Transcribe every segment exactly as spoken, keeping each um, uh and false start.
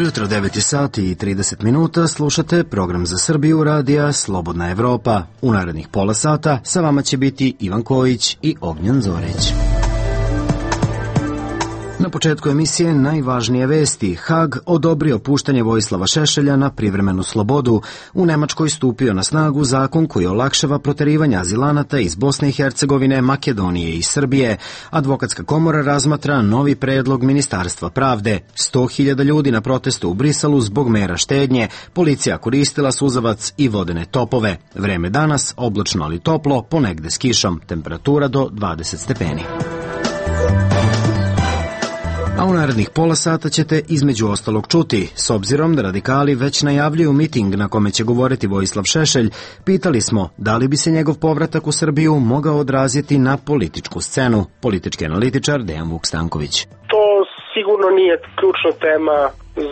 Dobro jutro, devet sati i trideset minuta, slušate program za Srbiju radija Slobodna Evropa. U narednih pola sata sa vama će biti Ivan Kojić i Ognjan Zorić. Na početku emisije najvažnije vesti. Hag odobrio puštanje Vojislava Šešelja na privremenu slobodu. U Nemačkoj stupio na snagu zakon koji olakšava proterivanje azilanata iz Bosne i Hercegovine, Makedonije i Srbije. Advokatska komora razmatra novi predlog Ministarstva pravde. sto hiljada ljudi na protestu u Briselu zbog mera štednje. Policija koristila suzavac i vodene topove. Vreme danas oblačno ali toplo, ponegde s kišom. Temperatura do dvadeset stepeni. A u narednih pola sata ćete između ostalog čuti. S obzirom da radikali već najavljuju miting na kome će govoriti Vojislav Šešelj, pitali smo da li bi se njegov povratak u Srbiju mogao odraziti na političku scenu. Politički analitičar Dejan Vuk Stanković. To sigurno nije ključna tema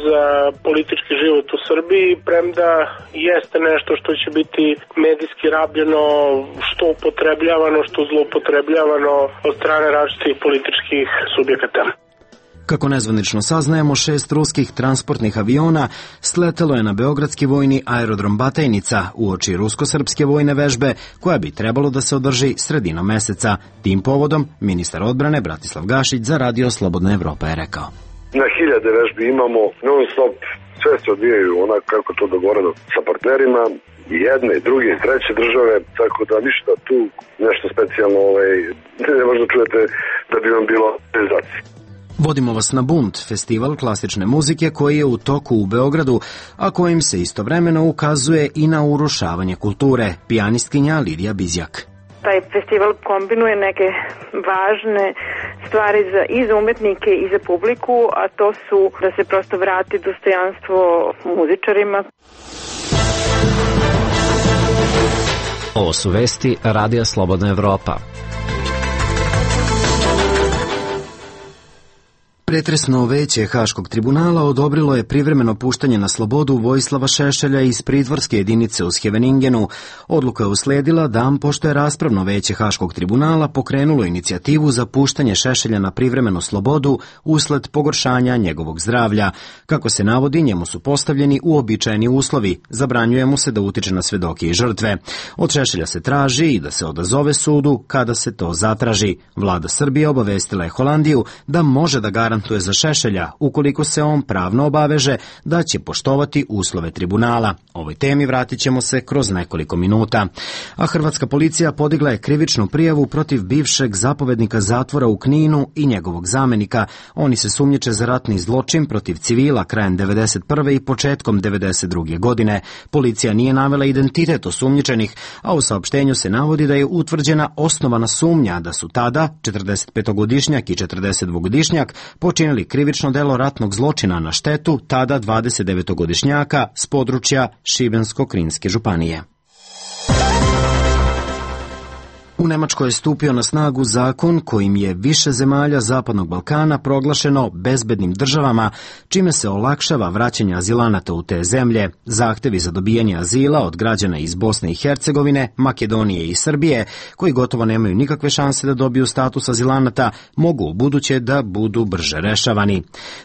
za politički život u Srbiji, premda jeste nešto što će biti medijski rabljeno, što upotrebljavano, što zloupotrebljavano od strane različitih političkih subjekata. Kako nezvanično saznajemo, šest ruskih transportnih aviona sletelo je na beogradski vojni aerodrom Batajnica uoči rusko-srpske vojne vežbe koja bi trebalo da se održi sredinom meseca. Tim povodom ministar odbrane Bratislav Gašić za radio Slobodna Evropa je rekao: Na hiljade vežbi imamo, non stop, sve se odvijaju onako kako to dogovoreno sa partnerima, i jedne, i druge, i treće države, tako da ništa tu nešto specijalno ovaj, ne možda čujete da bi vam bilo realizacija. Vodimo vas na Bunt, festival klasične muzike koji je u toku u Beogradu, a kojim se istovremeno ukazuje i na urušavanje kulture. Pijanistkinja Lidija Bizjak. Taj festival kombinuje neke važne stvari za, i za umetnike i za publiku, a to su da se prosto vrati dostojanstvo muzičarima. Ovo su vesti Radija Slobodna Evropa. Pretresno veće Haškog tribunala odobrilo je privremeno puštanje na slobodu Vojislava Šešelja iz pritvorske jedinice u Scheveningenu. Odluka je usledila dan pošto je raspravno veće Haškog tribunala pokrenulo inicijativu za puštanje Šešelja na privremenu slobodu usled pogoršanja njegovog zdravlja. Kako se navodi, njemu su postavljeni uobičajeni uslovi. Zabranjuje mu se da utiče na svedoke i žrtve. Od Šešelja se traži i da se odazove sudu kada se to zatraži. Vlada Srbije obavestila je Holandiju da može da garantuje to je za Šešelja, ukoliko se on pravno obaveže da će poštovati uslove tribunala. Ovoj temi vratit ćemo se kroz nekoliko minuta. A hrvatska policija podigla je krivičnu prijavu protiv bivšeg zapovednika zatvora u Kninu i njegovog zamenika. Oni se sumnjiče za ratni zločin protiv civila krajem devedeset prve i početkom devedeset druge godine. Policija nije navela identitet osumnjičenih, a u saopštenju se navodi da je utvrđena osnovana sumnja da su tada četrdesetpetogodišnjak i četrdesetdvogodišnjak počinili krivično delo ratnog zločina na štetu tada dvadesetdevetogodišnjaka s područja Šibensko-Kninske županije. U Nemačkoj je stupio na snagu zakon kojim je više zemalja Zapadnog Balkana proglašeno bezbednim državama, čime se olakšava vraćanje azilanata u te zemlje. Zahtevi za dobijanje azila od građana iz Bosne i Hercegovine, Makedonije i Srbije, koji gotovo nemaju nikakve šanse da dobiju status azilanata, mogu u buduće da budu brže rešavani.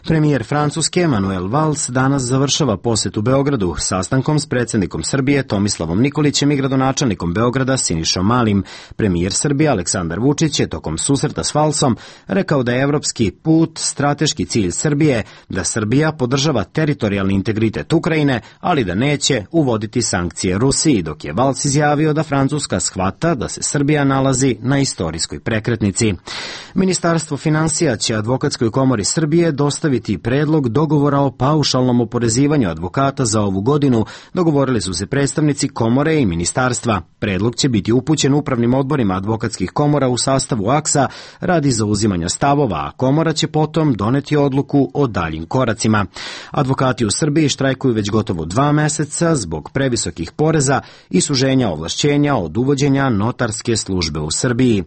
Premijer Francuske Manuel Valls danas završava posjet u Beogradu sastankom s predsjednikom Srbije Tomislavom Nikolićem i gradonačelnikom Beograda Sinišom Malim. Premijer Srbije Aleksandar Vučić je tokom susreta s Valsom rekao da je evropski put strateški cilj Srbije, da Srbija podržava teritorijalni integritet Ukrajine, ali da neće uvoditi sankcije Rusiji, dok je Vals izjavio da Francuska shvata da se Srbija nalazi na istorijskoj prekretnici. Ministarstvo finansija će Advokatskoj komori Srbije dostaviti predlog dogovora o paušalnom oporezivanju advokata za ovu godinu. Dogovorili su se predstavnici komore i ministarstva. Predlog će biti upućen upravnim odborima advokatskih komora u sastavu A K S A radi zauzimanja stavova, a komora će potom doneti odluku o daljim koracima. Advokati u Srbiji štrajkuju već gotovo dva meseca zbog previsokih poreza i suženja ovlašćenja od uvođenja notarske službe u Srbiji.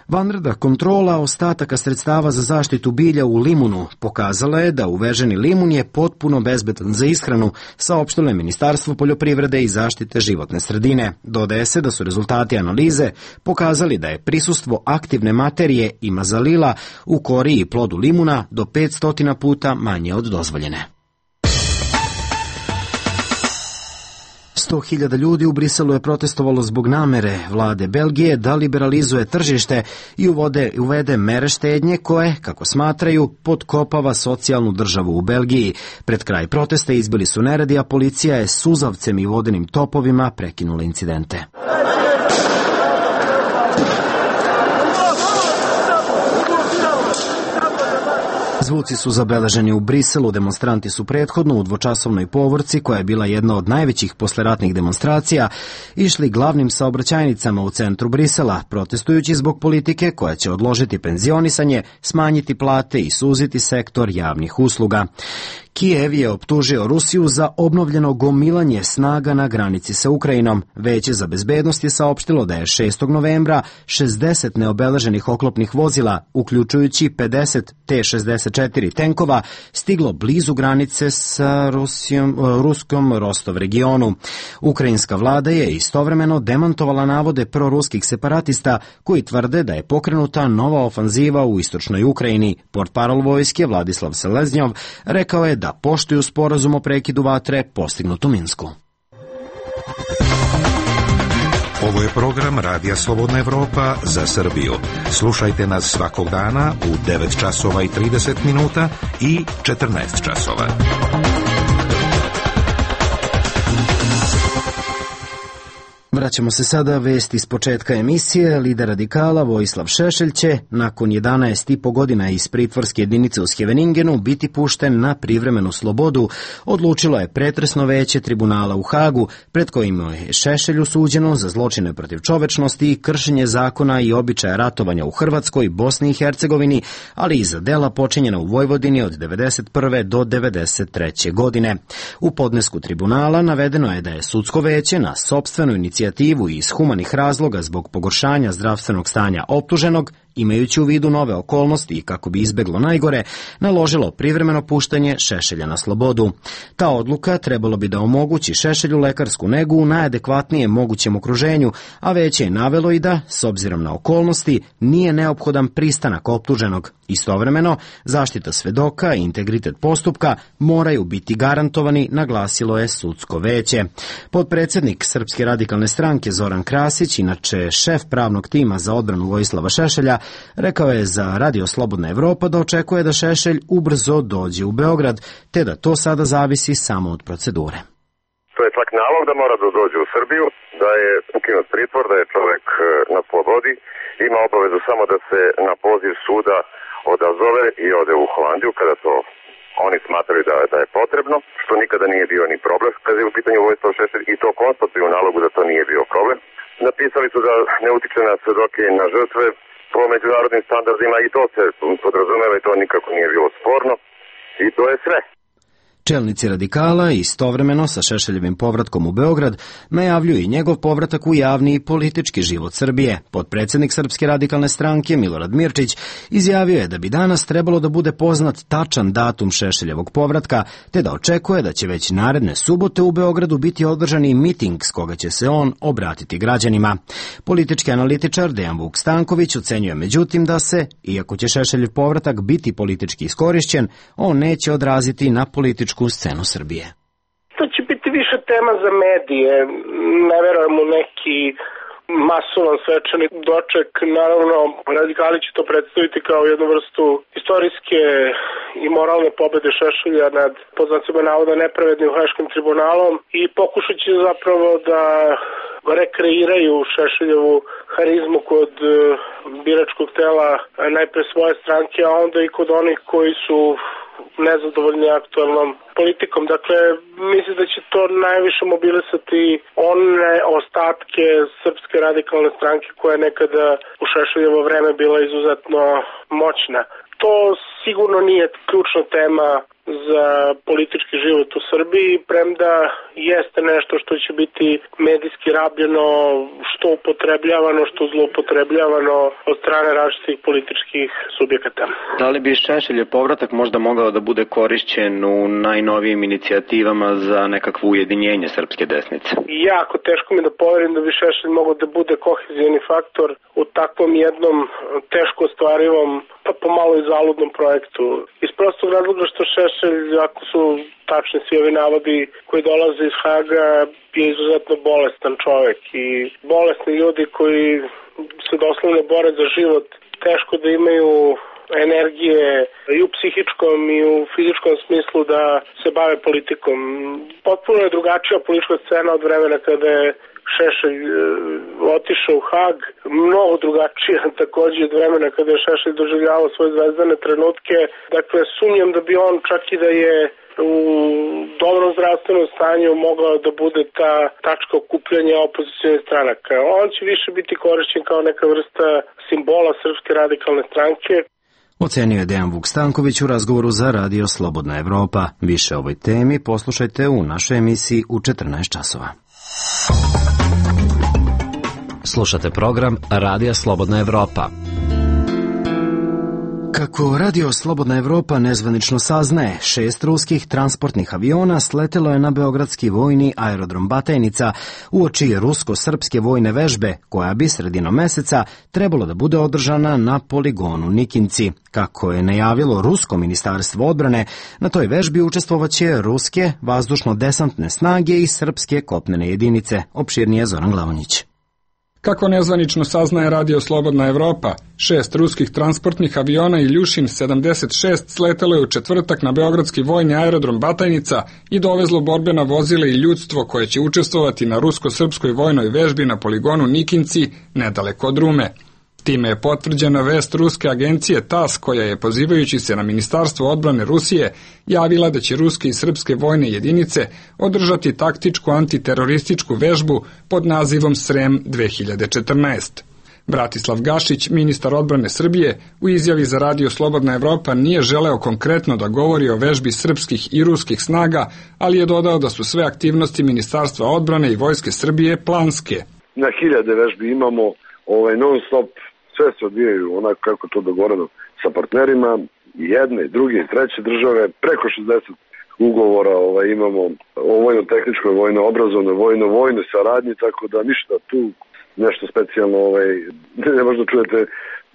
Vanredna kontrola ostataka sredstava za zaštitu bilja u limunu pokazala je da uveženi limun je potpuno bezbedan za ishranu, saopštilo je Ministarstvo poljoprivrede i zaštite životne sredine. Dodaje se da su rezultati analize pokazali da je prisustvo aktivne materije i mazalila u kori i plodu limuna do petsto puta manje od dozvoljene. sto hiljada ljudi u Briselu je protestovalo zbog namere vlade Belgije da liberalizuje tržište i uvode, uvede mere štednje koje, kako smatraju, potkopava socijalnu državu u Belgiji. Pred kraj protesta izbili su neredi, a policija je suzavcem i vodenim topovima prekinula incidente. Zvuci su zabeleženi u Briselu, demonstranti su prethodno u dvočasovnoj povorci, koja je bila jedna od najvećih posleratnih demonstracija, išli glavnim saobraćajnicama u centru Brisela, protestujući zbog politike koja će odložiti penzionisanje, smanjiti plate i suziti sektor javnih usluga. Kijev je optužio Rusiju za obnovljeno gomilanje snaga na granici sa Ukrajinom. Veće za bezbednost je saopštilo da je šestog novembra šezdeset neobeleženih oklopnih vozila, uključujući pedeset T šezdeset četiri tenkova, stiglo blizu granice sa Rusijom, ruskom Rostov regionu. Ukrajinska vlada je istovremeno demantovala navode proruskih separatista koji tvrde da je pokrenuta nova ofanziva u istočnoj Ukrajini. Portparol vojske Vladislav Seleznjov rekao je da da poštuju sporazum o prekidu vatre postignut u Minsku. Ovo je program Radija Slobodna Evropa za Srbiju. Slušajte nas svakog dana u devet časova i trideset minuta i četrnaest časova. Vraćamo se sada vesti iz početka emisije. Lider radikala Vojislav Šešelj će nakon jedanaest i po godina iz pritvorske jedinice u Scheveningenu biti pušten na privremenu slobodu, odlučilo je pretresno veće tribunala u Hagu, pred kojim je Šešelju suđeno za zločine protiv čovečnosti i kršenje zakona i običaja ratovanja u Hrvatskoj, Bosni i Hercegovini, ali i za dela počinjena u Vojvodini od devedeset prve do devedeset treće godine. U podnesku tribunala navedeno je da je sudsko veće na sopstvenu inicijativu i iz humanih razloga zbog pogoršanja zdravstvenog stanja optuženog, imajući u vidu nove okolnosti i kako bi izbeglo najgore, naložilo privremeno puštanje Šešelja na slobodu. Ta odluka trebalo bi da omogući Šešelju lekarsku negu u najadekvatnijem mogućem okruženju, a veće je navelo i da, s obzirom na okolnosti, nije neophodan pristanak optuženog. Istovremeno, zaštita svedoka i integritet postupka moraju biti garantovani, naglasilo je sudsko veće. Potpredsednik Srpske radikalne stranke Zoran Krasić, inače šef pravnog tima za odbranu Vojislava Šešelja, rekao je za Radio Slobodna Evropa da očekuje da Šešelj ubrzo dođe u Beograd, te da to sada zavisi samo od procedure. To je čak nalog da mora da dođe u Srbiju, da je ukinut pritvor, da je čovek na slobodi, ima obavezu samo da se na poziv suda odazove i ode u Holandiju kada to oni smatraju da, da je potrebno, što nikada nije bio ni problem kada je u pitanju Vojislav Šešelj, i to konstatuju u nalogu da to nije bio problem. Napisali su da ne utiče na svedoke i na žrtve po međunarodnim standardima i to se podrazumeva i to nikako nije bilo sporno i to je sve. Čelnici radikala istovremeno sa Šešeljevim povratkom u Beograd najavljuju i njegov povratak u javni i politički život Srbije. Potpredsednik Srpske radikalne stranke Milorad Mirčić izjavio je da bi danas trebalo da bude poznat tačan datum Šešeljevog povratka, te da očekuje da će već naredne subote u Beogradu biti održani miting s koga će se on obratiti građanima. Politički analitičar Dejan Vuk Stanković ocenjuje međutim da se, iako će Šešeljev povratak biti politički iskorišćen, on neće odraziti na političku scenu Srbije. To će biti više tema za medije, ne verujem u neki masovan svečani doček. Naravno, radikali će to predstaviti kao jednu vrstu istorijske i moralne pobede Šešelja nad, po znacima navoda, nepravednim Haškim tribunalom i pokušat će zapravo da rekreiraju Šešeljevu harizmu kod biračkog tela najpre svoje stranke, a onda i kod onih koji su nezadovoljni aktualnom politikom. Dakle, mislim da će to najviše mobilisati one ostatke Srpske radikalne stranke koja je nekada u Šešeljevo vreme bila izuzetno moćna. To sigurno nije ključna tema za politički život u Srbiji, premda jeste nešto što će biti medijski rabljeno, što upotrebljavano, što zloupotrebljavano od strane različitih političkih subjekata. Da li bi Šešeljev povratak možda mogao da bude korišćen u najnovijim inicijativama za nekakvo ujedinjenje srpske desnice? Jako teško mi da poverim da bi Šešelj mogao da bude kohezijni faktor u takvom jednom teško ostvarivom, pa pomalo i zaludnom projektu. Iz prostog razloga što Šešelj, ako su tačni svi ovi navodi koji dolaze iz Haga, je izuzetno bolestan čovek i bolesni ljudi koji se doslovno bore za život, teško da imaju energije i u psihičkom i u fizičkom smislu da se bave politikom. Potpuno je drugačija politička scena od vremena kada je Šešelj e, otišao u Hag, mnogo drugačija takođe od vremena kada je Šešelj doživljavao svoje zvezdane trenutke. Dakle, sumnjam da bi on čak i da je u dobrom zdravstvenom stanju mogao da bude ta tačka okupljanja opozicionih stranaka. On će više biti korišćen kao neka vrsta simbola Srpske radikalne stranke. Ocenio je Dejan Vuk Stanković u razgovoru za Radio Slobodna Evropa. Više o ovoj temi poslušajte u našoj emisiji u četrnaest časova. Slušate program Radija Slobodna Evropa. Kako Radio Slobodna Evropa nezvanično saznaje, šest ruskih transportnih aviona sletelo je na beogradski vojni aerodrom Batajnica uoči rusko-srpske vojne vežbe, koja bi sredinom meseca trebalo da bude održana na poligonu Nikinci. Kako je najavilo Rusko ministarstvo odbrane, na toj vežbi učestvovaće ruske vazdušno-desantne snage i srpske kopnene jedinice. Opširnije Zoran Glavonjić. Kako nezvanično saznaje Radio Slobodna Evropa, šest ruskih transportnih aviona Iljušin sedamdeset šest sletelo je u četvrtak na beogradski vojni aerodrom Batajnica i dovezlo borbena vozila i ljudstvo koje će učestvovati na rusko-srpskoj vojnoj vežbi na poligonu Nikinci, nedaleko od Rume. Time je potvrđena vest ruske agencije T A S, koja je, pozivajući se na Ministarstvo odbrane Rusije, javila da će ruske i srpske vojne jedinice održati taktičku antiterorističku vežbu pod nazivom Srem dve hiljade četrnaest. Bratislav Gašić, ministar odbrane Srbije, u izjavi za Radio Slobodna Evropa nije želeo konkretno da govori o vežbi srpskih i ruskih snaga, ali je dodao da su sve aktivnosti Ministarstva odbrane i Vojske Srbije planske. Na hiljade vežbi imamo ovaj, non stop. Sve se odvijaju onako kako to dogovoreno sa partnerima, jedne, druge, treće države, preko šezdeset ugovora ovaj, imamo o vojno-tehničkoj, vojno-obrazovnoj, vojno-vojnoj saradnji, tako da ništa tu nešto specijalno ovaj, ne možda čujete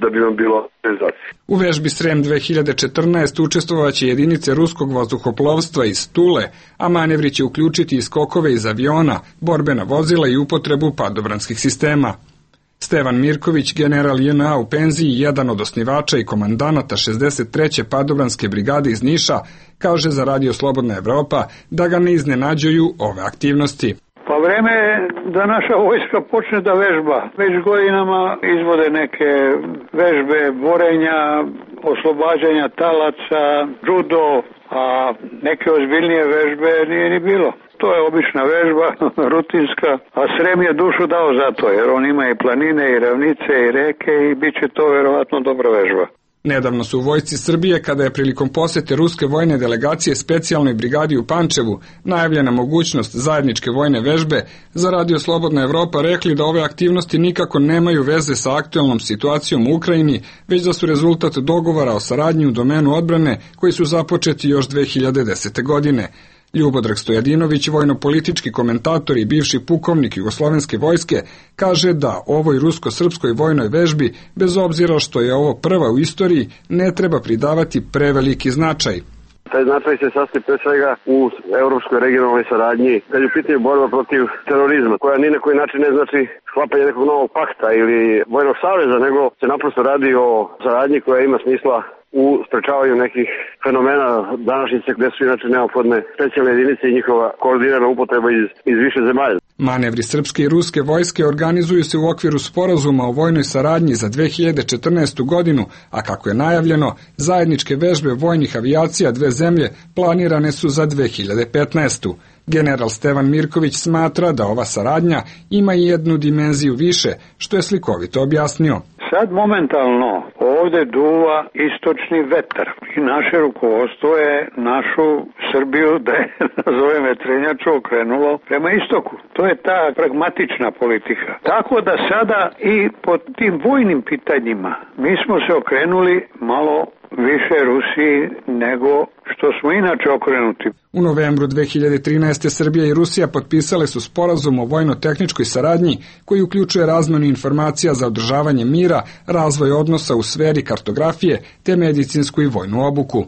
da bi vam bilo organizacija. U vežbi Srem dve hiljade četrnaest učestvovaće jedinice ruskog vazduhoplovstva iz Tule, a manevri će uključiti i skokove iz aviona, borbena vozila i upotrebu padobranskih sistema. Stevan Mirković, general J N A u penziji, jedan od osnivača i komandanata šezdeset treće padobranske brigade iz Niša, kaže za Radio Slobodna Evropa da ga ne iznenađuju ove aktivnosti. Pa vreme je da naša vojska počne da vežba. Već godinama izvode neke vežbe, borenja, oslobađanja talaca, judo, a neke ozbiljnije vežbe nije ni bilo. To je obična vežba, rutinska, a Srem je dušu dao za to, jer on ima i planine, i ravnice, i reke i bit će to verovatno dobra vežba. Nedavno su u Vojsci Srbije, kada je prilikom posete ruske vojne delegacije specijalnoj brigadi u Pančevu najavljena mogućnost zajedničke vojne vežbe, za Radio Slobodna Evropa rekli da ove aktivnosti nikako nemaju veze sa aktuelnom situacijom u Ukrajini, već da su rezultat dogovora o saradnji u domenu odbrane koji su započeti još dve hiljade desete. godine. Ljubodrag Stojadinović, vojno-politički komentator i bivši pukovnik Jugoslovenske vojske, kaže da ovoj rusko-srpskoj vojnoj vežbi, bez obzira što je ovo prva u istoriji, ne treba pridavati preveliki značaj. Taj značaj se sastoji pre svega u evropskoj regionalnoj saradnji, kad je u pitanju borba protiv terorizma, koja ni na koji način ne znači sklapanje nekog novog pakta ili vojnog saveza, nego se naprosto radi o saradnji koja ima smisla u sprečavanju nekih fenomena današnjice gde su inače neophodne specijalne jedinice i njihova koordinirana upotreba iz, iz više zemalja. Manevri srpske i ruske vojske organizuju se u okviru sporazuma o vojnoj saradnji za dve hiljade četrnaestu. godinu, a kako je najavljeno, zajedničke vežbe vojnih avijacija dve zemlje planirane su za dve hiljade petnaestu. General Stevan Mirković smatra da ova saradnja ima i jednu dimenziju više, što je slikovito objasnio. Sad momentalno ovde duva istočni vetar i naše rukovodstvo je našu Srbiju, da je nazovem vetrenjaču, okrenulo prema istoku. To je ta pragmatična politika. Tako da sada i pod tim vojnim pitanjima mi smo se okrenuli malo više Rusiji nego što smo inače okrenuti. U novembru dve hiljade trinaeste. Srbija i Rusija potpisale su sporazum o vojno-tehničkoj saradnji koji uključuje razmenu informacija za održavanje mira, razvoj odnosa u sferi kartografije te medicinsku i vojnu obuku.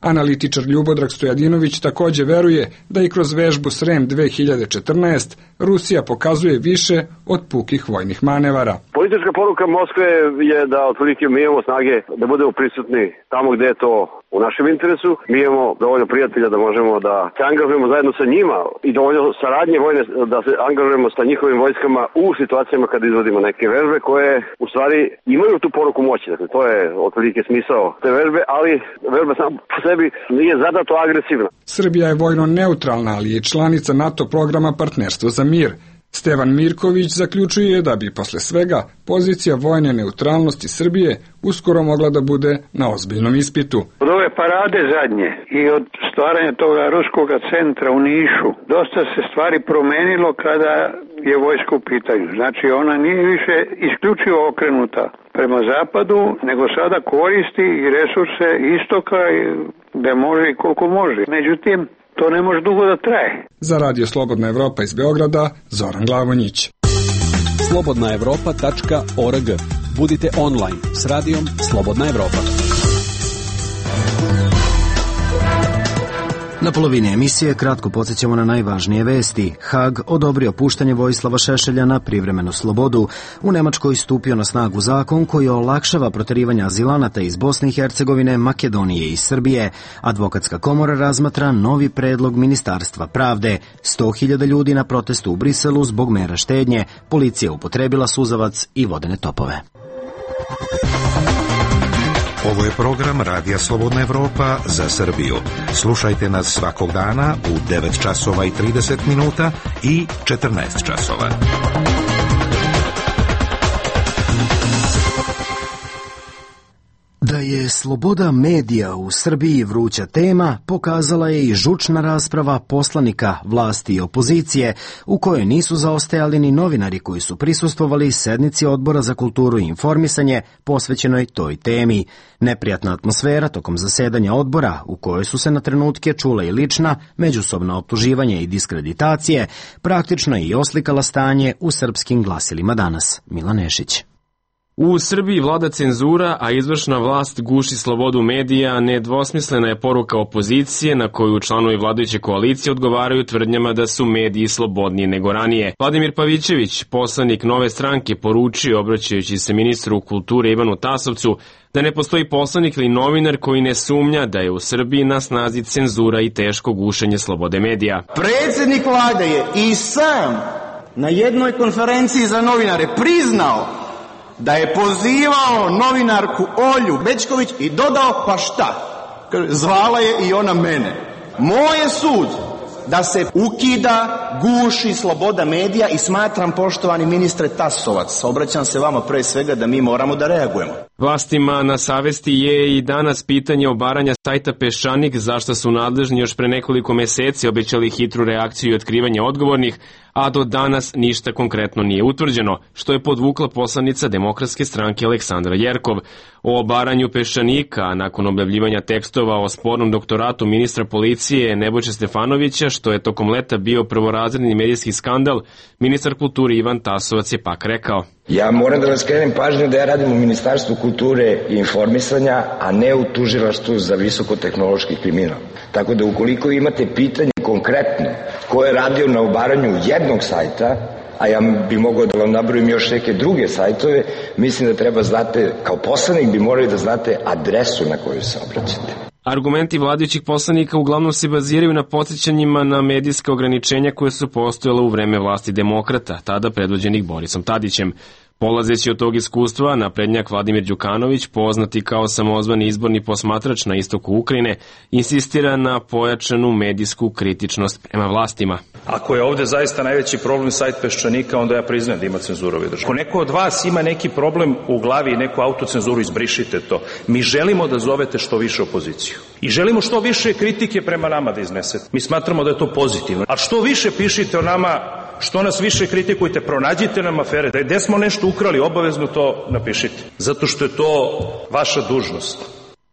Analitičar Ljubodrag Stojadinović takođe veruje da i kroz vežbu Srem dve hiljade četrnaest Rusija pokazuje više od pukih vojnih manevara. Politička poruka Moskve je da otprilike mi imamo snage da budemo prisutni tamo gde je to u našem interesu. Mi imamo dovoljno prijatelja da možemo da se angažujemo zajedno sa njima i dovoljno saradnje vojne da se angažujemo sa njihovim vojskama u situacijama kada izvodimo neke vežbe koje u stvari imaju tu poruku moći. Dakle, to je otprilike smisao te vežbe, ali vežba sam po sebi nije zadato agresivna. Srbija je vojno neutralna, ali je članica NATO programa Partnerstvo za mir. Stevan Mirković zaključuje da bi posle svega pozicija vojne neutralnosti Srbije uskoro mogla da bude na ozbiljnom ispitu. Od ove parade zadnje i od stvaranja toga ruskog centra u Nišu dosta se stvari promenilo kada je vojska u pitanju. Znači ona nije više isključivo okrenuta prema zapadu, nego sada koristi i resurse istoka gde može i koliko može. Međutim, to ne može dugo da traje. Za Radio Slobodna Evropa iz Beograda, Zoran Glavonjić. slobodna evropa tačka org. Budite online s radijom Slobodna Evropa. Na polovini emisije kratko podsjećamo na najvažnije vesti. Hag odobrio puštanje Vojislava Šešelja na privremenu slobodu. U Nemačkoj stupio na snagu zakon koji olakšava proterivanje azilanata iz Bosne i Hercegovine, Makedonije i Srbije. Advokatska komora razmatra novi predlog Ministarstva pravde. sto hiljada ljudi na protestu u Briselu zbog mera štednje. Policija upotrebila suzavac i vodene topove. Ovo je program Radija Slobodna Evropa za Srbiju. Slušajte nas svakog dana u devet časova i trideset minuta i četrnaest časova. Da je sloboda medija u Srbiji vruća tema, pokazala je i žučna rasprava poslanika vlasti i opozicije, u kojoj nisu zaostajali ni novinari koji su prisustvovali sednici Odbora za kulturu i informisanje posvećenoj toj temi. Neprijatna atmosfera tokom zasedanja odbora, u kojoj su se na trenutke čula i lična, međusobna optuživanja i diskreditacije, praktično je i oslikala stanje u srpskim glasilima danas. Milan Nešić. U Srbiji vlada cenzura, a izvršna vlast guši slobodu medija, nedvosmislena je poruka opozicije na koju članovi vladajuće koalicije odgovaraju tvrdnjama da su mediji slobodniji nego ranije. Vladimir Pavićević, poslanik Nove stranke, poručio, obraćajući se ministru kulture Ivanu Tasovcu, da ne postoji poslanik ili novinar koji ne sumnja da je u Srbiji na snazi cenzura i teško gušenje slobode medija. Predsjednik vlade je i sam na jednoj konferenciji za novinare priznao da je pozivao novinarku Olju Bećković i dodao, pa šta? Zvala je i ona mene. Moj je sud da se ukida, guši sloboda medija i smatram, poštovani ministre Tasovac, obraćam se vama pre svega da mi moramo da reagujemo. Vlastima na savesti je i danas pitanje obaranja sajta Peščanik, zašto su nadležni još pre nekoliko meseci obećali hitru reakciju i otkrivanje odgovornih, a do danas ništa konkretno nije utvrđeno, što je podvukla poslanica Demokratske stranke Aleksandra Jerkov. O obaranju Peščanika, nakon objavljivanja tekstova o spornom doktoratu ministra policije Nebojše Stefanovića, što je tokom leta bio prvorazredni medijski skandal, ministar kulture Ivan Tasovac je pak rekao: Ja moram da vas skrenem pažnju da ja radim u Ministarstvu kulture i informisanja, a ne u tužilaštvu za visokotehnološki kriminal. Tako da ukoliko imate pitanje konkretno ko je radio na obaranju jednog sajta, a ja bi mogao da vam nabrojim još neke druge sajtove, mislim da treba znate, kao poslanik bi morali da znate adresu na koju se obraćate. Argumenti vladajućih poslanika uglavnom se baziraju na podsjećanjima na medijska ograničenja koje su postojala u vreme vlasti demokrata, tada predvođenih Borisom Tadićem. Polazeći od tog iskustva, naprednjak Vladimir Đukanović, poznati kao samozvani izborni posmatrač na istoku Ukrajine, insistira na pojačanu medijsku kritičnost prema vlastima. Ako je ovde zaista najveći problem sajt Peščanika, onda ja priznajem da ima cenzura u državi. Ako neko od vas ima neki problem u glavi i neku autocenzuru, izbrišite to. Mi želimo da zovete što više opoziciju. I želimo što više kritike prema nama da iznesete. Mi smatramo da je to pozitivno. A što više pišite o nama, što nas više kritikujte, pronađite nam afere. Da je gde smo nešto ukrali, obavezno to napišite. Zato što je to vaša dužnost.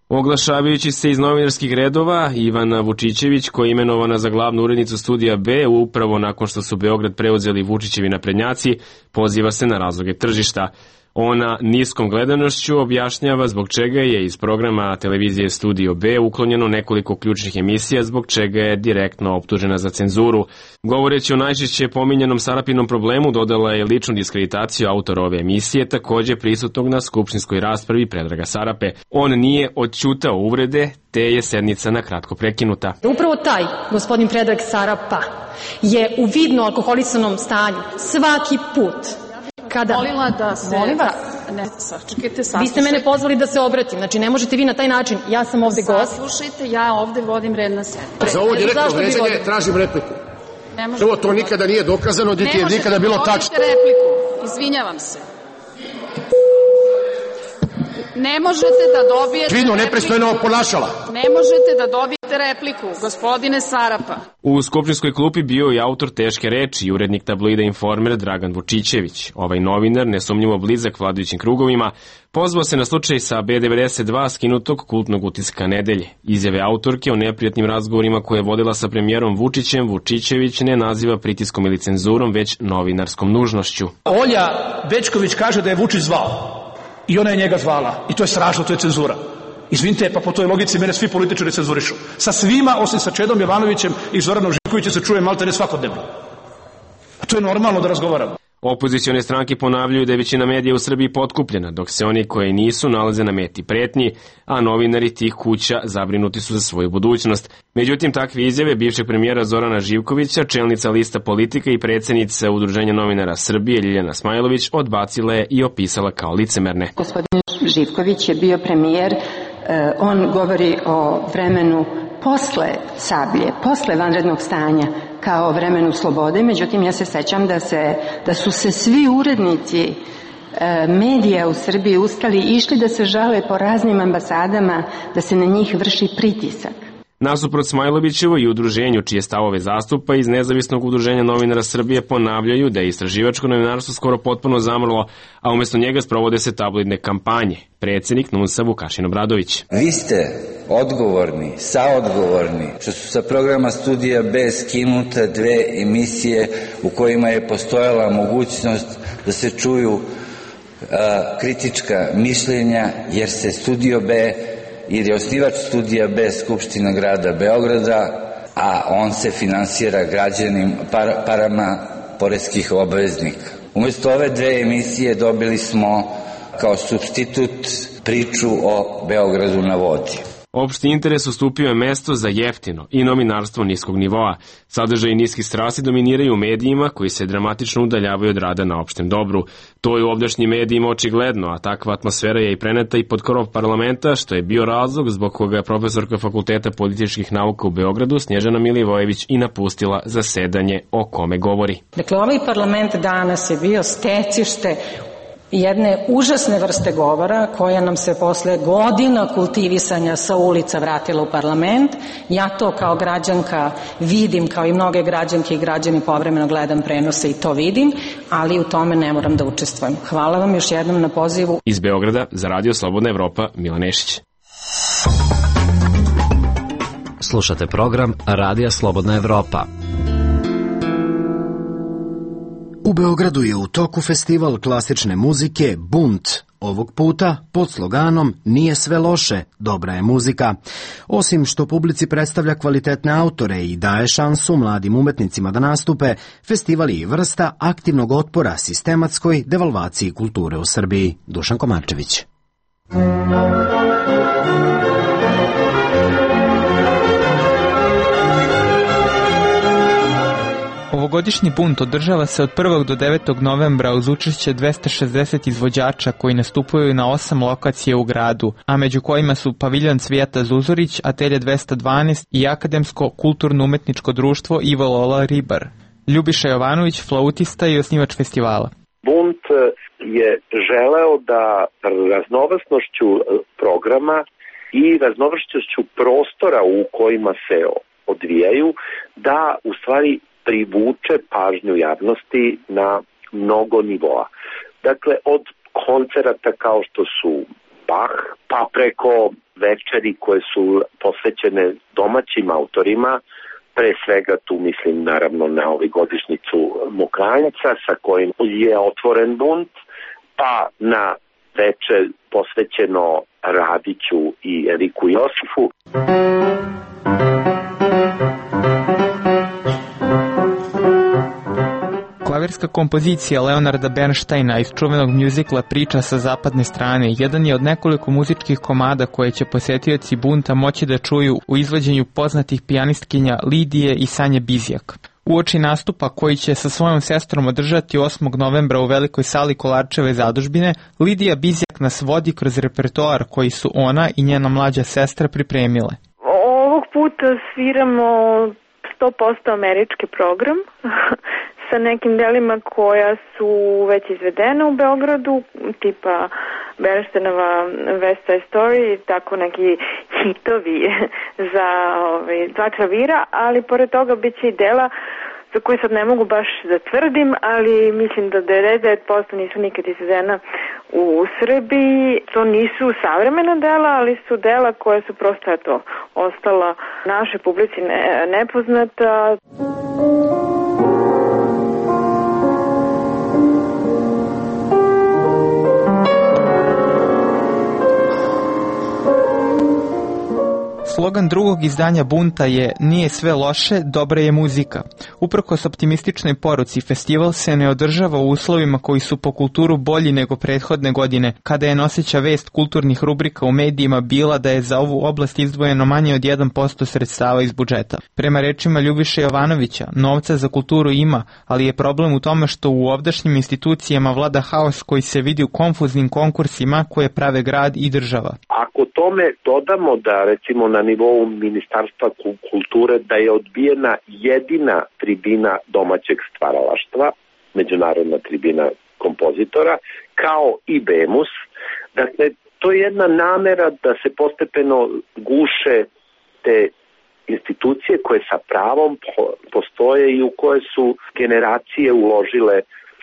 Oglašavajući se iz novinarskih redova, Ivana Vučićević, koja je imenovana za glavnu urednicu Studija B, upravo nakon što su Beograd preuzeli Vučićevi naprednjaci, poziva se na razloge tržišta. Ona niskom gledanošću objašnjava zbog čega je iz programa televizije Studio B uklonjeno nekoliko ključnih emisija, zbog čega je direktno optužena za cenzuru. Govoreći o najčešće pominjanom Sarapinom problemu, dodala je ličnu diskreditaciju autora ove emisije, takođe prisutnog na skupštinskoj raspravi Predraga Sarape. On nije odćutao uvrede, te je sednica na kratko prekinuta. Upravo taj gospodin Predrag Sarapa je u vidno alkoholisanom stanju svaki put kada... Molila da se... Molim vas. Ne, sačekajte, saslušajte. Vi ste mene pozvali da se obratim, znači ne možete vi na taj način. Ja sam ovde gost. Saslušajte, ja ovde vodim red na sednici. Za ovo direktno vređanje tražim repliku. Prvo, to nikada nije dokazano, niti je nikada bilo tačno. Ne možete da repliku, izvinjavam se. Ne možete da dobijete Kvino, nepristojno ponašala. Ne možete da dobijete repliku, gospodine Sarapa. U skupštinskoj klupi bio je autor teške reči i urednik tabloida Informer Dragan Vučićević. Ovaj novinar, nesumnjivo blizak vladajućim krugovima, pozvao se na slučaj sa B devedeset dva skinutog kultnog utiska nedelje. Izjave autorke o neprijatnim razgovorima koje je vodila sa premijerom Vučićem Vučićević ne naziva pritiskom ili cenzurom, već novinarskom nužnošću. Olja Bećković kaže da je Vučić zvao. I ona je njega zvala. I to je strašno, to je cenzura. Izvinite, pa po toj logici mene svi političari cenzurišu. Sa svima, osim sa Čedom Jovanovićem i Zoranom Živkovićem, se čuje maltene svakodnevno. A to je normalno da razgovaramo. Opozicione stranke ponavljaju da je većina medija u Srbiji potkupljena, dok se oni koji nisu nalaze na meti pretnji, a novinari tih kuća zabrinuti su za svoju budućnost. Međutim, takve izjave bivšeg premijera Zorana Živkovića, čelnica lista Politika i predsednica Udruženja novinara Srbije Ljiljana Smajlović odbacila je i opisala kao licemerne. Gospodin Živković je bio premijer, on govori o vremenu posle Sablje, posle vanrednog stanja, kao vremenu slobode, međutim ja se sećam da, se, da su se svi urednici e, medija u Srbiji ustali i išli da se žale po raznim ambasadama, da se na njih vrši pritisak. Nasuprot Smajlovićevo i udruženju čije stavove zastupa iz Nezavisnog udruženja novinara Srbije ponavljaju da je istraživačko novinarstvo skoro potpuno zamrlo, a umesto njega sprovode se tabloidne kampanje. Predsednik N U N S-a Vukašin Obradović. Vi ste odgovorni, saodgovorni, što su sa programa Studija B skinute dve emisije u kojima je postojala mogućnost da se čuju a, kritička mišljenja, jer se Studio B jer je osnivač Studija B Skupština grada Beograda, a on se finansira građanim par, parama poreskih obveznika. Umesto ove dve emisije dobili smo kao supstitut priču o Beogradu na vodi. Opšti interes ustupio je mesto za jeftino i novinarstvo niskog nivoa. Sadržaji niskih strasti dominiraju u medijima koji se dramatično udaljavaju od rada na opštem dobru. To je u ovdašnjim medijima očigledno, a takva atmosfera je i preneta i pod krov parlamenta, što je bio razlog zbog koga je profesorka Fakulteta političkih nauka u Beogradu Snježana Milivojević i napustila zasedanje o kome govori. Dakle, ovaj parlament danas je bio stecište jedne užasne vrste govora koja nam se posle godina kultivisanja sa ulica vratila u parlament. Ja to kao građanka vidim, kao i mnoge građanke i građani povremeno gledam prenose i to vidim, ali u tome ne moram da učestvujem. Hvala vam još jednom na pozivu. Iz Beograda za Radio Slobodna Evropa, Milan Nešić. Slušate program Radija Slobodna Evropa. U Beogradu je u toku festival klasične muzike Bunt, ovog puta pod sloganom Nije sve loše, dobra je muzika. Osim što publici predstavlja kvalitetne autore i daje šansu mladim umetnicima da nastupe, festival je i vrsta aktivnog otpora sistematskoj devalvaciji kulture u Srbiji. Dušan Komarčević. Ovogodišnji bunt održava se od prvog do devetog novembra uz učešće dvesta šezdeset izvođača koji nastupaju na osam lokacija u gradu, a među kojima su Paviljon Cvijata Zuzorić, Atelje dvesta dvanaest i Akademsko kulturno-umetničko društvo Ivo Lola Ribar. Ljubiša Jovanović, flautista i osnivač festivala. Bunt je želeo da raznovrsnošću programa i raznovrsnošću prostora u kojima se odvijaju, da u stvari privuče pažnju javnosti na mnogo nivoa. Dakle, od koncerata kao što su Bach, pa preko večeri koje su posvećene domaćim autorima, pre svega tu mislim naravno na ovu godišnjicu Mokranjca sa kojim je otvoren bunt, pa na veče posvećeno Radiću i Eriku Josifu. Klavirska kompozicija Leonarda Bernsteina iz čuvenog mjuzikla Priča sa zapadne strane jedan je od nekoliko muzičkih komada koje će posjetioci Bunta moći da čuju u izvođenju poznatih pijanistkinja Lidije i Sanje Bizjak. Uoči nastupa koji će sa svojom sestrom održati osmog novembra u velikoj sali Kolarčeve zadužbine, Lidija Bizjak nas vodi kroz repertoar koji su ona i njena mlađa sestra pripremile. Ovog puta sviramo sto posto američki program sa nekim delima koja su već izvedena u Beogradu, tipa Bernsteinova West Side Story, tako neki hitovi za ove, dva klavira, ali pored toga bit će i dela za koje sad ne mogu baš da tvrdim, ali mislim da devedeset devet posto nisu nikad izvedena u Srbiji. To nisu savremena dela, ali su dela koje su prosto eto, ostala našoj publici ne, nepoznata. Slogan drugog izdanja Bunta je "Nije sve loše, dobra je muzika". Uprkos optimističnoj poruci, festival se ne održava u uslovima koji su po kulturu bolji nego prethodne godine, kada je noseća vest kulturnih rubrika u medijima bila da je za ovu oblast izdvojeno manje od jedan posto sredstava iz budžeta. Prema rečima Ljubiše Jovanovića, novca za kulturu ima, ali je problem u tome što u ovdašnjim institucijama vlada haos koji se vidi u konfuznim konkursima koje prave grad i država. Ako tome dodamo da recimo na nivou Ministarstva kulture da je odbijena jedina tribina domaćeg stvaralaštva, međunarodna tribina kompozitora, kao i BEMUS, dakle to je jedna namera da se postepeno guše te institucije koje sa pravom postoje i u koje su generacije uložile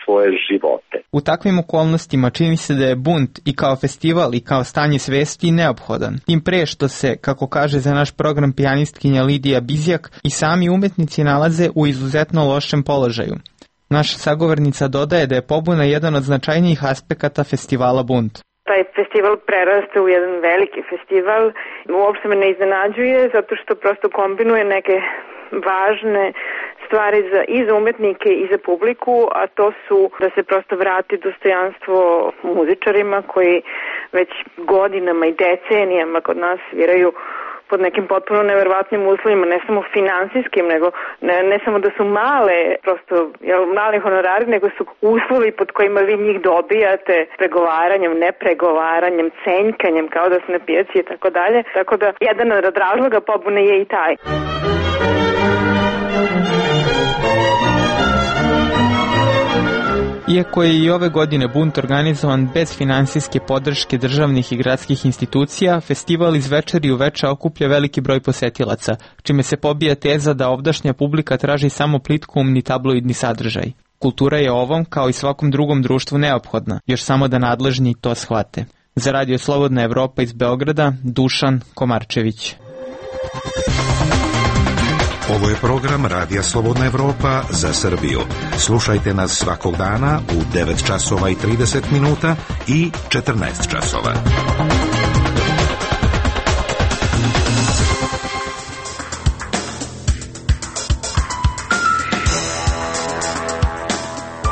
svoje živote. U takvim okolnostima čini se da je Bunt i kao festival i kao stanje svesti neophodan. Tim pre što se, kako kaže za naš program pijanistkinja Lidija Bizjak, i sami umetnici nalaze u izuzetno lošem položaju. Naša sagovornica dodaje da je pobuna jedan od značajnijih aspekata festivala Bunt. Taj festival preraste u jedan veliki festival. Uopšte me ne iznenađuje zato što prosto kombinuje neke važne stvari za, i za umetnike i za publiku, a to su da se prosto vrati dostojanstvo muzičarima koji već godinama i decenijama kod nas sviraju pod nekim potpuno neverovatnim uslovima, ne samo finansijskim, nego ne, ne samo da su male, prosto jel, male honorari, nego su uslovi pod kojima vi njih dobijate pregovaranjem, nepregovaranjem, cenjkanjem, kao da su na pijaci i tako dalje. Tako da jedan od razloga pobune je i taj. Iako je i ove godine Bunt organizovan bez finansijske podrške državnih i gradskih institucija, festival iz večeri u veče okuplja veliki broj posetilaca, čime se pobija teza da ovdašnja publika traži samo plitkoumni tabloidni sadržaj. Kultura je ovom, kao i svakom drugom društvu, neophodna, još samo da nadležni to shvate. Za Radio Slobodna Evropa iz Beograda, Dušan Komarčević. Ovo je program Radija Slobodna Evropa za Srbiju. Slušajte nas svakog dana u devet časova i trideset minuta i četrnaest časova.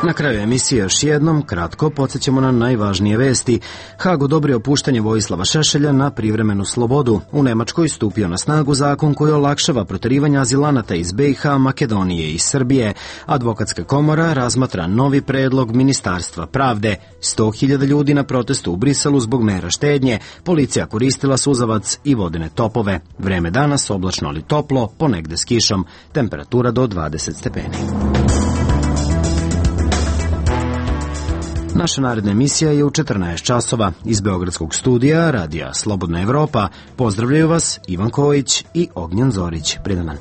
Na kraju emisije još jednom kratko podsjećamo na najvažnije vesti. Hag odobrio puštanje Vojislava Šešelja na privremenu slobodu. U Nemačkoj stupio na snagu zakon koji olakšava proterivanje azilanata iz B i H, Makedonije i Srbije. Advokatska komora razmatra novi predlog Ministarstva pravde. sto hiljada ljudi na protestu u Briselu zbog mera štednje. Policija koristila suzavac i vodene topove. Vreme danas oblačno ali toplo, ponegde s kišom. Temperatura do dvadeset stepeni. Naša naredna emisija je u četrnaest časova. Iz Beogradskog studija Radija Slobodna Evropa pozdravljaju vas Ivan Kojić i Ognjen Zorić. Pridan dan.